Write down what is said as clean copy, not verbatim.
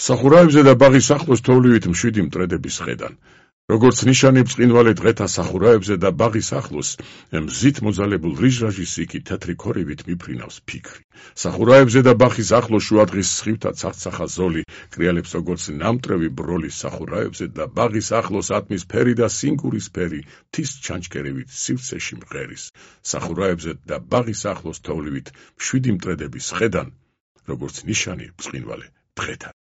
სახურაებზე და ბაღის ახლოს თოვლივით მშვიდი მტრედების ხედან. როგორც ნიშანი ბრწყინვალე დღეთა სახურაებზე და ბაღის ახლოს, მზით მოძალებულ რიჟრაჟის იქით თეთრი ქორივით მიფრინავს ფიქრი. სახურაებზე და ბაღის ახლოს შუადღის სხივთა ცახცახა ზოლი კრიალებს როგორც ნამტრევი ბროლი სახურაებზე და ბაღის ახლოს ატმის ფერი და სინგურის ფერი მთის ჩანჩქერივით სივრცეში მღერის. სახურაებზე და ბაღის ახლოს თოვლივით მშვიდი მტრედების ხედან, როგორც ნიშანი ბრწყინვალე დღეთა.